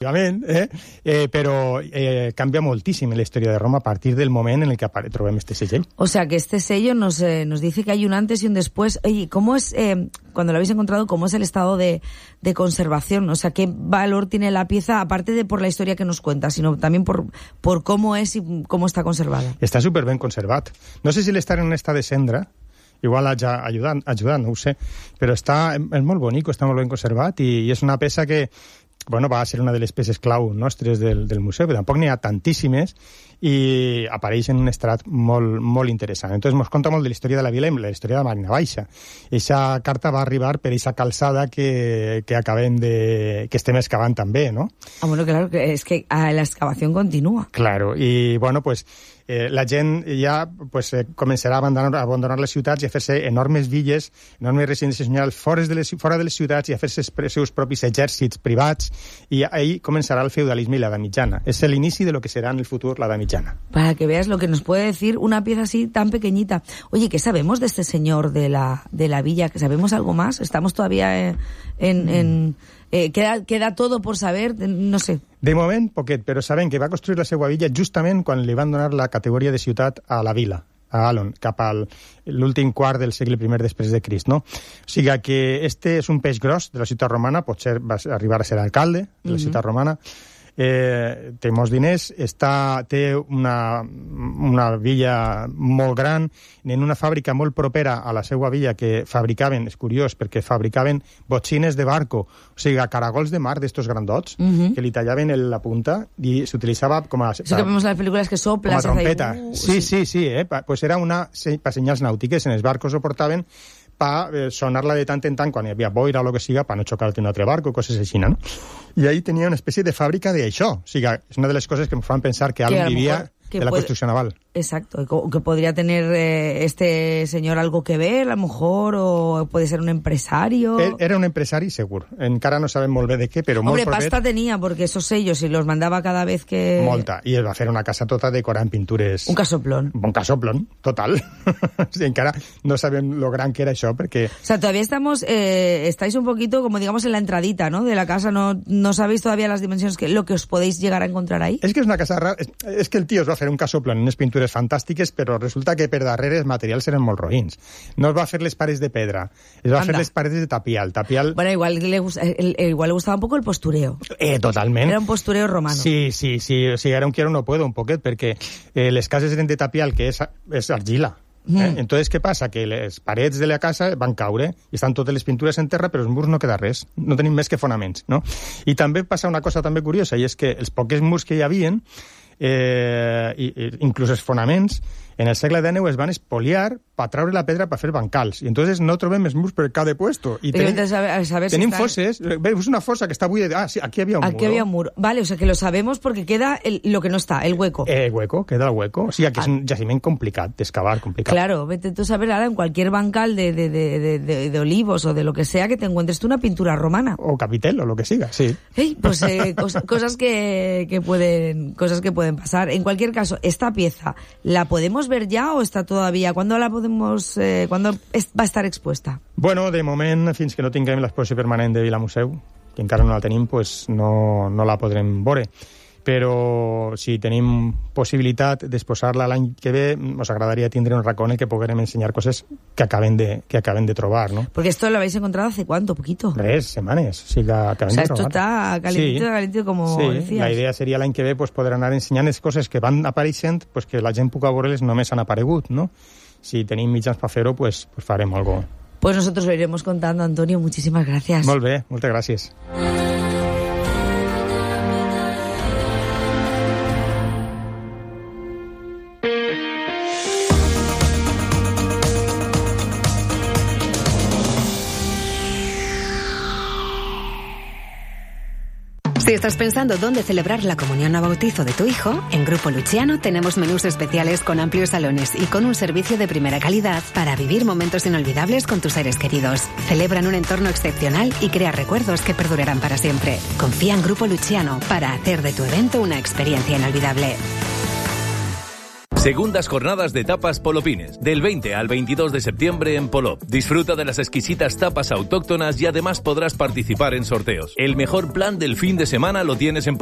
però canvia moltíssim la història de Roma a partir del moment en el que trobem este segell. O sea, que este sello nos dice que hay un antes y un después. Oye, ¿cómo es, cuando lo habéis encontrado, cómo es el estado de conservación? O sea, ¿qué valor tiene la pieza, aparte de por la historia que nos cuenta, sino también por cómo es y cómo está conservada? Està superben conservat. No sé si l'estar en un estat de cendra, igual haja ajudat, no ho sé, però és molt bonic, està molt ben conservat i és una peça que va ser una de les peces clau nostres del museu, que tampoc n'hi ha tantíssimes i apareix en un estrat molt, molt interessant. Entonces ens conta molt de la història de la vila i la història de Marina Baixa. Eixa carta va arribar per eixa calçada que estem excavant també, ¿no? Bueno, claro, es que la excavación continúa. Claro, y bueno, pues la gent ja començarà a abandonar les ciutats i a fer-se enormes villes, enormes residències senyorials fora de les ciutats i a fer-se els seus propis exèrcits privats, i ahí començarà el feudalisme i l'edat mitjana. És l'inici de lo que serà en el futur l'edat mitjana. Para que veas lo que nos puede decir una pieza así tan pequeñita. Oye, ¿qué sabemos de este señor de la villa? ¿Sabemos algo más? ¿Estamos todavía queda todo por saber? No sé. De moment, poquet, però sabem que va construir la seva villa justament quan li van donar la categoria de ciutat a la vila, a Alon, cap a l'últim quart del segle I després de Crist, no? O sigui que este és un peix gros de la ciutat romana, potser va arribar a ser alcalde de la ciutat romana, té molts diners, té una villa molt gran, en una fàbrica molt propera a la seva villa que fabricaven, és curiós, perquè fabricaven botxines de barco, o sigui, caragols de mar d'estos grandots, que li tallaven la punta i s'utilitzava com a... Eso que vemos en las películas que sopla. Com a trompeta. Sí. Pues era per senyals nàutiques, en els barcos ho portaven per sonar-la de tant en tant quan hi havia boira o el que siga, per no xocar-te un altre barco, coses així, no? I ahí tenia una espècie de fàbrica d'això. O sigui, és una de les coses que em fan pensar que Alon vivia de la construcció naval. Exacto, que podría tener este señor algo que ver, a lo mejor, o puede ser un empresario. Era un empresari, segur. Encara no sabem molt bé de què, però molt propet. Hombre, pasta tenía, porque esos sellos, y los mandaba cada vez que... Molta, i es va fer una casa tota decorada en pintures... Un casoplón. Un casoplón, total. Sí, encara no sabem lo gran que era això, perquè... O sea, todavía estáis un poquito, como digamos, en la entradita, ¿no?, de la casa, no sabéis todavía las dimensiones, lo que os podéis llegar a encontrar ahí. És que és una casa rara, és que el tio es va fer un casoplón en unes pintures fantàstiques, però resulta que per darrere els materials eren molt roïns. No es va fer les parets de pedra, es va fer les parets de tapial. Bueno, igual le gustaba un poco el postureo. Totalment. Era un postureo romano. Sí, o sigui, era un quiero no puedo, un poquet, perquè les cases eren de tapial, que és argila. Entonces, què passa? Que les parets de la casa van caure i estan totes les pintures en terra, però els murs no queda res. No tenim més que fonaments, no? I també passa una cosa també curiosa, i és que els pocs murs que hi havien, inclús els fonaments, en el segle XIX es van espoliar per traure la pedra per fer bancals. I entonces no trobem els murs per cada puesto. I tenim fosses. Veus una fossa que està buida. Sí, aquí había un muro. Aquí había un muro. Vale, o sea que lo sabemos porque queda lo que no está, el hueco. El hueco, queda el hueco. O sigui que és un jaciment complicat, d'excavar, complicat. Claro, vete tú a saber ahora en cualquier bancal de olivos o de lo que sea que te encuentres tú una pintura romana. O capitel, o lo que siga, sí. Pues cosas que pueden pasar. En cualquier caso, esta pieza, ¿la podemos ver ya o está todavía? ¿Cuándo la podemos, cuándo va a estar expuesta? Bueno, de moment, fins que no tinguem l'exposició permanent de Vila Museu, que encara no la tenim, pues no la podrem veure. Però si tenim possibilitat d'exposar-la l'any que ve, ens agradaria tindre un racó en el que poguérem ensenyar coses que acaben de trobar, ¿no? Porque esto lo habéis encontrado hace ¿cuánto? ¿Poquito? 3 semanas, o sigui que acaben de trobar. Esto está calentito, como decías. La idea seria l'any que ve pues, poder anar ensenyant les coses que van apareixent, pues, que la gent puga veure-les només han aparegut, no? Si tenim mitjans per fer-ho, pues farem algo. Pues nosotros lo iremos contando, Antonio. Muchísimas gracias. Molt bé, moltes gràcies. Si estás pensando dónde celebrar la comunión o bautizo de tu hijo, en Grupo Luciano tenemos menús especiales con amplios salones y con un servicio de primera calidad para vivir momentos inolvidables con tus seres queridos. Celebra en un entorno excepcional y crea recuerdos que perdurarán para siempre. Confía en Grupo Luciano para hacer de tu evento una experiencia inolvidable. Segundas jornadas de tapas Polopines, del 20 al 22 de septiembre en Polop. Disfruta de las exquisitas tapas autóctonas y además podrás participar en sorteos. El mejor plan del fin de semana lo tienes en